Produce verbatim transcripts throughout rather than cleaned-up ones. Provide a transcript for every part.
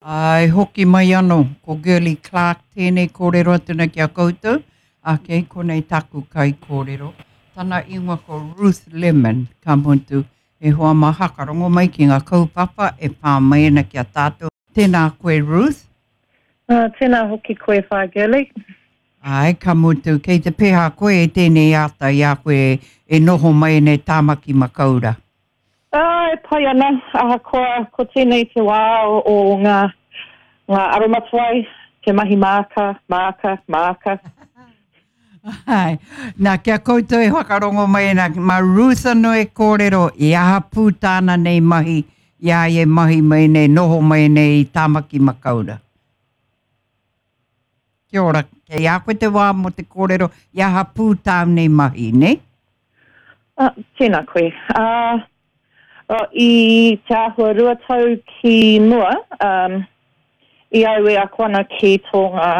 Āe, hoki mai anō, ko Girlie Clarke tēnei kōrero atu nei ki a koutou, ā, kei konei taku kaikōrero. Tana ingoa ko Ruth Lemon, ka mutu, e hoa mā hakarongo mai ki ngā kaupapa e pā mai ana ki a tātou. Tēnā koe Ruth. Uh, tēnā hoki koe whā Girlie. Āe, ka mutu, kei te pēhā koe e tēnei ata i a koe e noho mai nei Tāmaki Makaura. Ah, e pai ana, ahakoa ko tēnei te wā o, o ngā, ngā aromatawai, te mahi māka, māka, māka. Ai, nā, kia koutou e whakarongo mai ana, mā Ruth anō e kōrero i aha pū tāna nei mahi, i a ia e mahi mai nei, noho mai nei i Tāmaki Makaura. Kia ora, kei a koe te wā mō te kōrero i aha pū tāu nei mahi, ne? Ah, tēnā koe. Ah, oh, i te āhua rua tau ki mua, um, i au e ako ana ki tō ngā,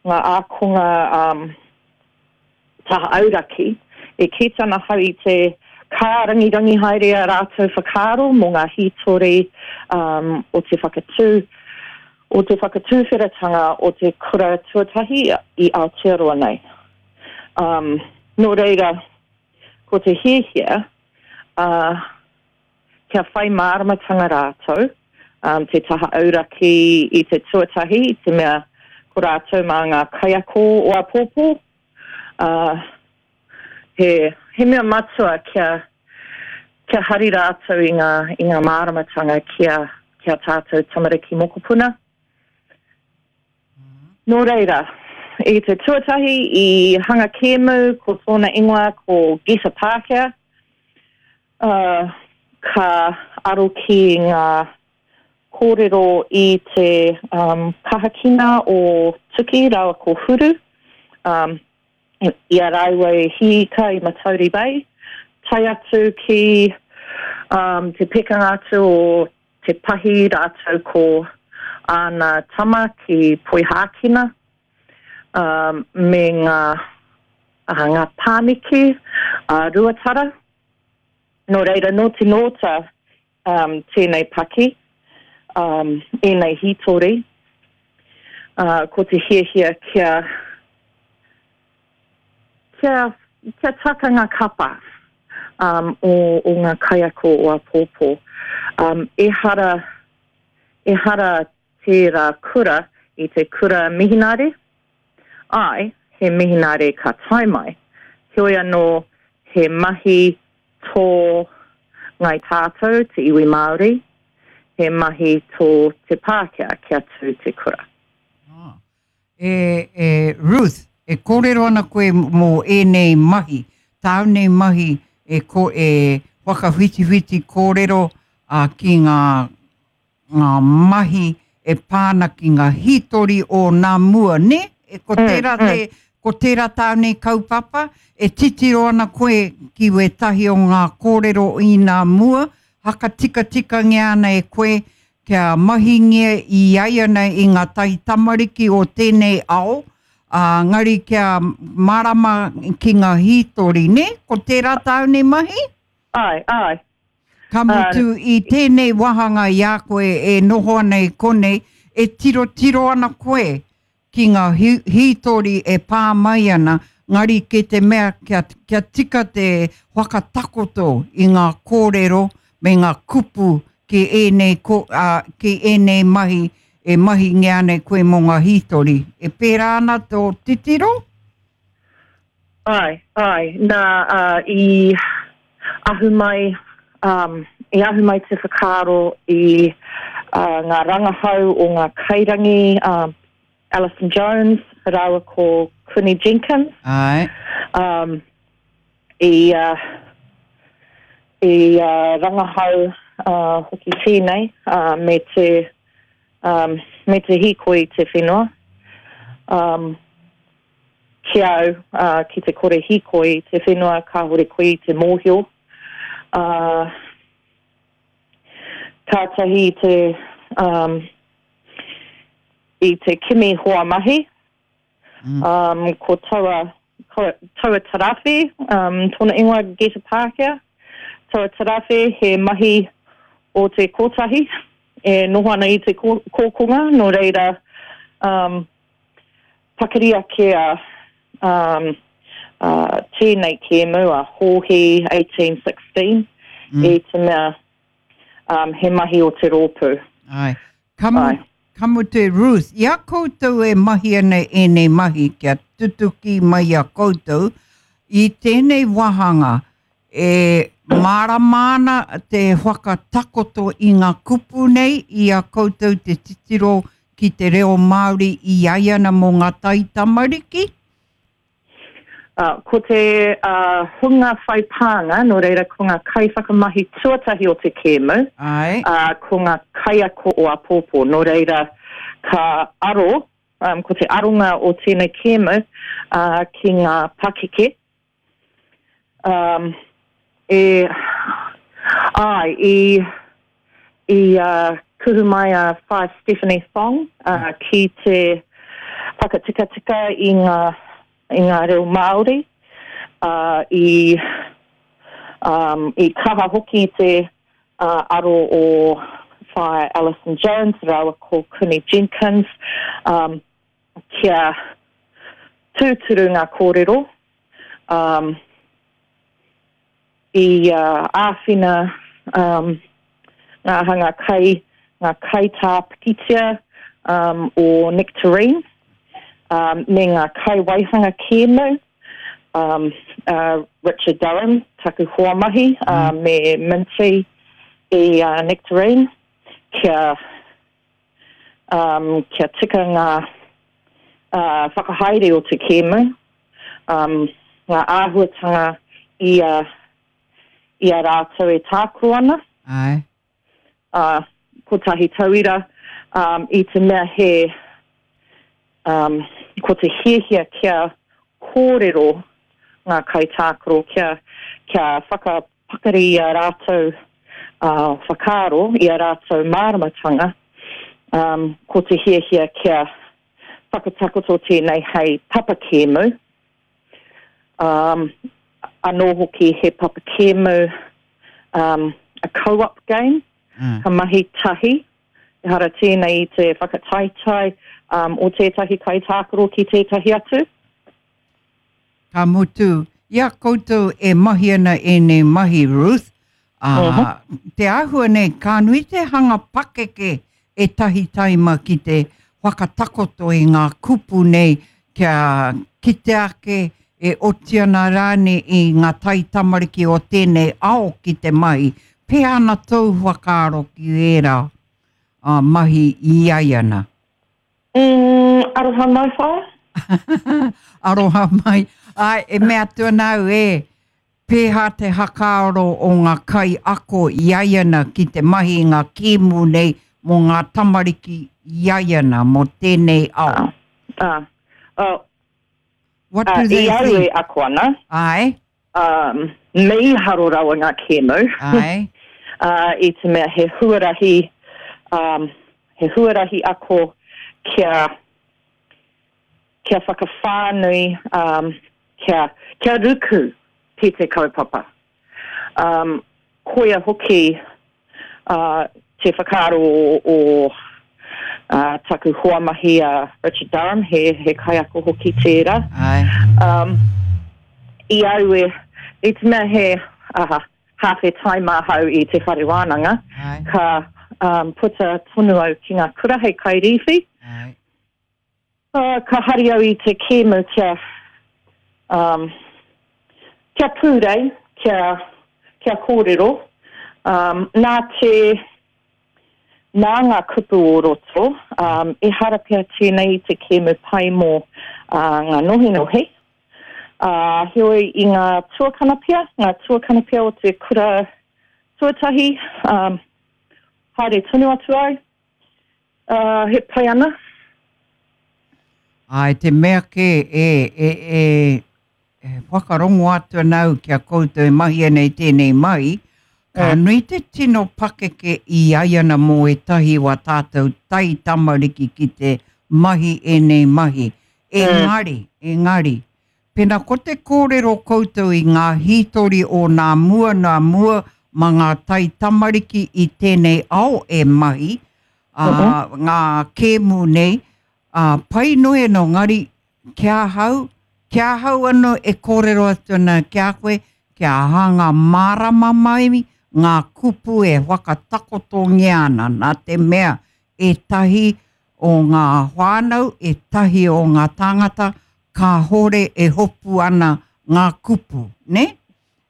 ngā ākonga um, taha auraki, e kī tana hau i te kārangirangi haere a rātou whakaaro mō ngā hītori um, o te whakatū, o te whakatūwheratanga o te kura tuatahi i Aotearoa nei. Um, nō reira, ko te hiahia, uh, kia whai māramatanga rātou, um, te taha auraki i te tuatahi, i te mea ko rātou mā ngā kaiako o āpōpō. Uh, he, he mea matua kia, kia hari rātou i ngā, i ngā māramatanga kia, kia tātou tamariki mokopuna. Nō reira, i te tuatahi i hanga kēmu, ko tōna ingoa ko Get a Pākehā, uh, ka aro ki ngā kōrero i te um, kahakina o Tuki rāua ko Huru, um, i a rāua e hīka i Matauri Bay, tae atu ki um, te pekanga atu o Te Pahi rātou ko āna tama ki Poihākina, um, me ngā, uh, ngā pāniki a Ruatara. Nō reira, nō te nōta um, tēnei paki, um, ēnei hītori, uh, ko te hiahia kia, kia, kia taka ngā kapa um, o, o ngā kaiako o āpōpō. Um, ehara, ehara tērā kura i te kura mihinare. Ai, he mihinare ka tae mai. Heoi anō, he mahi tō Ngāi Tātou, te iwi Māori, he mahi tō te Pākehā kia tū te kura. Ah. E, e, Ruth, e kōrero ana koe mō ēnei mahi, tāu nei mahi e, ko, e whakawhitiwhiti kōrero uh, ki ngā, ngā mahi e pā ana ki ngā hītori o nā mua, ne? E, ko tērā mm, mm. te, ko tērā tāu nei kaupapa, e titiro ana koe ki wētahi o ngā kōrero i nā mua, hakatikatikangia ana e koe kia mahingia i ai ana i ngā tai tamariki o tēnei ao, ā, ngari kia mārama ki ngā hītori, ne? Ko tērā tāu nei mahi? Ai, ai. Ka mutu i tēnei wāhanga i a koe e noho ana i konei, e tirotiro ana koe ki ngā hītori e pā mai ana, ngari ki te mea kia, kia tika te whakatakoto i ngā kōrero me ngā kupu ki ēnei, ko, uh, ki ēnei mahi e mahingia ana koe mō ngā hītori. E pērā ana tō titiro? Ai, ai. Nā, uh, i ahu mai, um, i ahu mai te whakaaro i uh, ngā rangahau o ngā kairangi, um, Alison Jones rāua ko Quinny Jenkins. Ai. Um, i, uh, i uh, rangahau uh, hoki tēnei uh, me te, um, me te hīkoi i te whenua. Um, ki au, uh, ki te kore hīkoi i te whenua, kāhore koe i te mōhio. Uh, kātahi te, um, i te kimi hoa mahi. Mm. Um, ko taua, ko, taua tarawhi, um, tōna ingoa Get a Pākehā. Taua tarawhi he mahi o te kotahi. e noho ana i te kōkonga, nō reira um, pakari ake a um, uh, tēnei kēmu a Hōhi eighteen sixteen, mm. i te mea um, he mahi o te rōpū. Ai. Kamu, Ai. Kamu te Ruth, i a koutou e mahi ana ēnei mahi kia tutuki mai a koutou, i tēnei wāhanga e mārama ana te whakatakoto i ngā kupu nei i a koutou te titiro ki te reo Māori i ai ana mō ngā taitamariki? Uh, ko te uh, hunga whai pānga, nō reira ko ngā kaiwhakamahi tuatahi o te kēmu, uh, ko ngā kaiako o apōpō, nō reira ka aro, um, ko te aronga o tēnei kēmu uh, ki ngā pakeke. Um, e, ai, i, i uh, kuhu mai a Whaea Stephanie Thong uh, ki te whakatikatika i ngā i ngā reo Māori, uh, i, um, i kaha hoki te uh, aro o Whaea Alison Jones rāua ko Kuni Jenkins, um, kia tūturu ngā kōrero, um, i uh, āwhina um, ngā hanga kai, ngā kaitā pikitia um, o Nectarine, Um, me ngā kai waihanga kēmu, um, uh, Richard Durham, taku hoa mahi, uh, mm. me Minty i uh, Nectarine, kia, um, kia tika ngā uh, whakahaere o te kēmu, um, ngā āhuatanga i a, i a rātou e tākaro ana. Ai. Uh, kotahi tauira, um, i te mea he Um, ko te hiahia kia kōrero ngā kaitākaro, kia, kia whakapakari i a rātou uh, whakaaro, i a rātou māramatanga, um, ko te hiahia kia whakatakoto tēnei hei papakēmu. Um, anō hoki he papakēmu, um, a co-op game, mm. ka mahi tahi, ehara tēnei i te whakataitai um, o tētahi kaitākaro ki tētahi atu. Ka mutu, i a koutou e mahi ana ēnei mahi, Ruth, uh, uh -huh. te āhua nei, ka nui te hanga pakeke e tahi taima ki te whakatakoto i ngā kupu nei kia kite ake e oti ana rānei i ngā taitamariki o tēnei ao ki te mahi. Pēhea ana tōu whakaaro ki ērā uh, mahi i ai ana? Mm, aroha mai, whaea. Aroha mai. Ai, e mea atu ana au, e, pēhā te hakaaro o ngā kai ako i ai ana ki te mahi i ngā kēmu nei mō ngā tamariki i ai ana mō tēnei ao. Ah, ah, What uh, do they i au think? e ako ana. Ai. Um, mīharo rawa ngā kēmu. Ai. Uh, i te mea he huarahi, um, he huarahi ako kia, kia whakawhānui, um, kia, kia ruku ki te kaupapa. Um, koia hoki uh, te whakaaro o, o uh, taku hoa mahi a Richard Durham, he, he kaiako hoki tērā. Ai. Um, i au e, i te mea he aha, hāwhe taima ahau i te whare wānanga, Ai. ka um, puta tonu au ki ngā kura hei kairīwhi. Ai. Uh, ka hari au i te kēmu kia, um, kia pūrei, kia, kia kōrero. Um, nā te, nā ngā kupu o roto, um, ehara pea tēnei i te kēmu pai mō uh, ngā nohinohi. Uh, heoi i ngā tuakana pea, ngā tuakana pea o te kura tuatahi, um, haere tonu atu ai, uh, he pai ana. Ai, te mea ke e, e, e, e whakarongo atu ana au kia koutou e mahi ana i tēnei mahi, ka Mm. nui te tino pakeke i ai ana mō ētahi wa tātou tai tamariki ki te mahi ēnei mahi. Engari, engari, pena ko te kōrero koutou i ngā hītori o nā mua nā mua ma ngā tai tamariki i tēnei ao e mahi, uh, uh -huh. ngā kēmu nei, uh, pai noe no ngari kia hau, kia hau anō e kōrero atu ana kia koe, kia hanga mārama mai ngā kupu e whakatakotongia ana, nā te mea e tahi o ngā whānau, e tahi o ngā tāngata, ka hore e hopu ana ngā kupu, ne?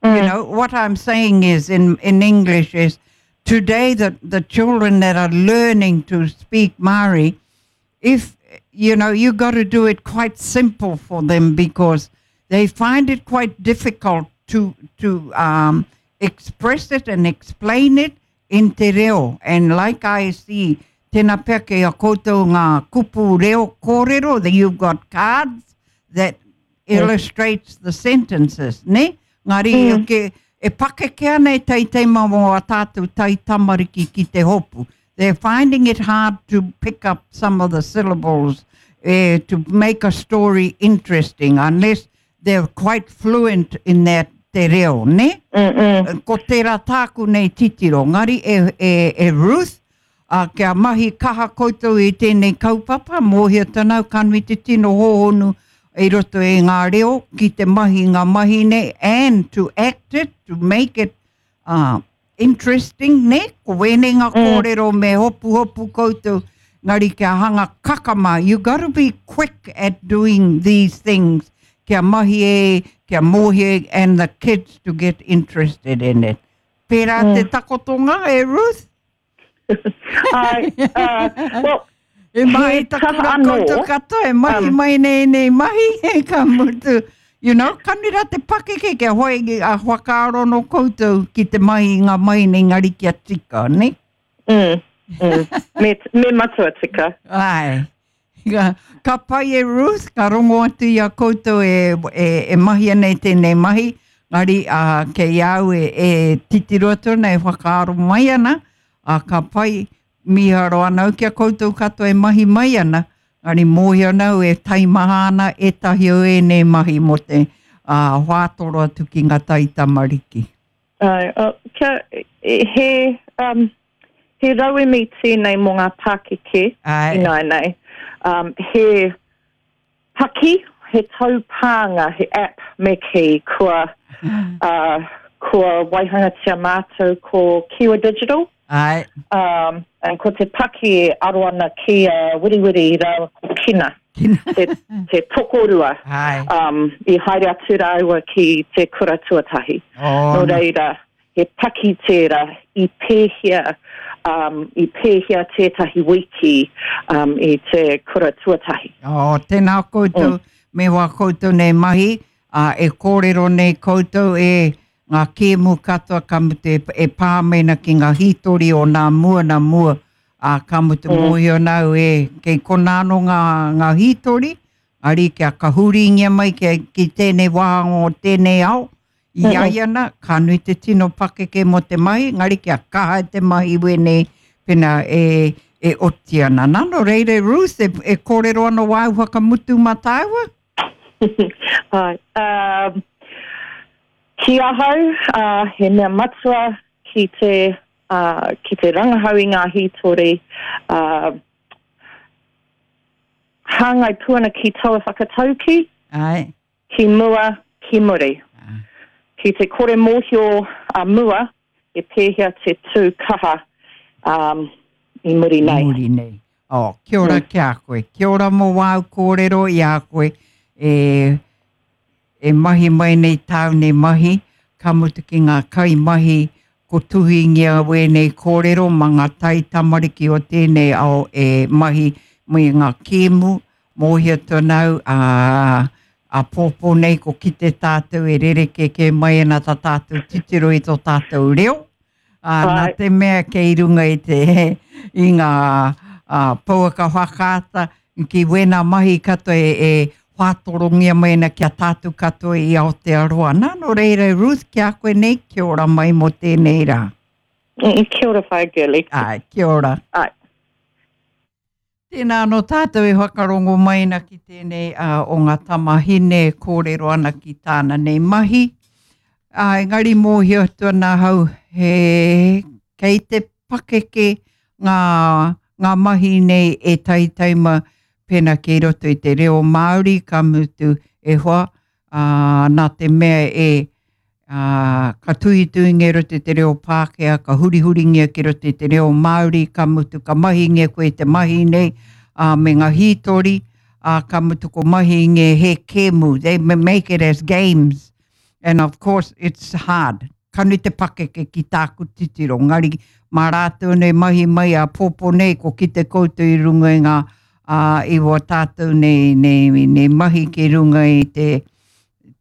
Mm. You know, what I'm saying is, in, in English is, today the, the children that are learning to speak Māori, if, you know, you got to do it quite simple for them because they find it quite difficult to, to um, express it and explain it in te reo. And like I see, tēnā pea ke a koutou ngā kupu reo kōrero, that you've got cards that illustrates the sentences, ne? Ngari mm. ke, e pakeke ana e teitei mō a tātou tai tamariki ki te hopu. They're finding it hard to pick up some of the syllables eh, to make a story interesting unless they're quite fluent in that te reo, ne? Mm -mm. Ko tērā tāku nei titiro. Ngari e, e, e Ruth, uh, kia mahi kaha koutou i tēnei kaupapa, mōhio tanau kanui te tino hohonu i roto e ngā reo ki te mahi ngā mahi nei and to act it, to make it uh, interesting, ne? Ko wēnei ngā mm. kōrero me hopu hopu koutou, ngari kia hanga kakama. You got to be quick at doing these things. Kia mahi e, kia mōhi e, and the kids to get interested in it. Pērā mm. te takotonga e Ruth? I, uh, well, E mahi takura koutou katoa, e mahi um, mai nei nei mahi, e ka mutu. You know, kanira te pakeke kia hoi a whakaaro no koutou ki te mahi ngā mahi nei ngari kia tika, ne? Mm, mm. Me, me matua tika. Ai. Ka, ka pai e Ruth, ka rongo atu i a koutou e, e, e mahi nei tēnei mahi, ngari uh, kei au e, e titiro atu ana, e whakaaro mai ana, a ka pai miharo ana au kia koutou katoa e mahi mai ana, ngari mōhio nau e taimaha ana e tahi o ēnei mahi mō te uh, whātoro atu ki ngā tai tamariki. Uh, uh, kia, he, um, he rauemi tēnei mō ngā pākeke ināianei. Um, he paki, he taupānga, he app me ki kua, uh, kua waihangatia mātou ko Kiwa Digital. Ai. Um, and ko te paki e aro ana ki a Wiriwiri rāua ko Kina. Kina. Te, te tokorua. Ai. Um, i haere atu rāua ki te kura tuatahi. Oh, Nō reira, he paki tērā i pēhea, um, i pēhea tētahi wiki um, i te kura tuatahi. Oh, tēnā koutou, mm. me wā koutou nei mahi, uh, e kōrero nei koutou e ngā kēmu katoa ka mutu e, e pā mena ki ngā hītori o nā mua nā mua, a ka mutu mm. mōhio nau e kei kona anō ngā, ngā hītori, ari kia kahuringia mai ki, ki tēnei wāhanga o tēnei ao, i mm -hmm. ai ana, ka nui te tino pakeke mō te mahi, ngari kia kaha te mahi wēnei pena e, e oti ana. Nā, nō reira Ruth, e, e kōrero ana wāu whakamutu mā tāua? Ai, um, ki ahau, uh, he mea matua ki te, uh, ki te rangahau i ngā hītori, uh, hāngai pū ana ki taua whakatauki, Ai. ki mua, ki muri. Ah. Ki te kore mōhio a mua, e pēhea te tū kaha um, i muri nei. Muri nei. Oh, kia ora Mm. ki a koe. Kia ora mō wāu kōrero i a koe e, e mahi mai nei tāu nei mahi, ka mutu ki ngā kai mahi ko tuhingia wēnei kōrero ma ngā tai tamariki o tēnei ao e mahi mai ngā kēmu, mōhio tōnau a, a pōpō nei ko kite tātou e rereke ke mai ana tā tātou titiro i tō tātou reo. Uh, nā Ai. te mea kei runga i te i ngā uh, pouaka whakaata ki wēnā mahi katoa e, e whātorongia mai ana kia tātou katoa i Aotearoa. Nā, nō reira Ruth, kia koe nei, kia ora mai mō tēnei rā. Mm, Kia ora whaea Girlie. Ai, kia ora. Ai. Tēnā anō tātou e whakarongo mai ana ki tēnei uh, o ngā tamahine e kōrero ana ki tāna nei mahi. Uh, engari mōhio atu ana hau, he, kei te pakeke ngā, ngā mahi nei e taitaima pēnā kei roto i te reo Māori, ka mutu e hoa, ā, nā te mea e, ā, ka tuhituhingia i roto i te reo Pākehā, ka hurihuringia ki roto i te reo Māori, ka mutu ka mahingia koe i te mahi nei, ā, me ngā hītori, ā, ka mutu ko mahingia he kēmu, they make it as games, and of course it's hard. Ka nui te pakeke ki tāku titiro, ngari mā rātou nei mahi mai a pōpō nei, ko kite koutou i runga i ngā, ā, i wā tātou nei, nei, nei mahi ki runga i te,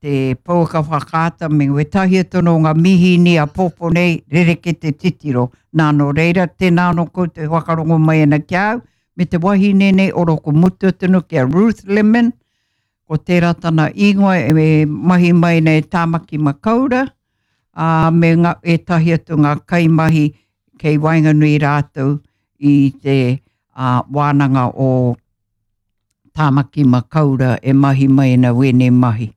te pouaka whakaata me wētahi atu anō ngā mihīni a pōpō nei, rerekē te titiro. Nā, nō reira, tēnā anō koutou e whakarongo mai ana ki a au, me te wahine nei oro ko mutu atu anō ki a Ruth Lemon, ko tērā tana ingoa e mahi mai nei Tāmaki Makaura, ā, me ngā, ētahi atu ngā kaimahi kei waenganui rātou i te ā, wānanga o Tāmaki Makaura e mahi mai ana wēnei mahi.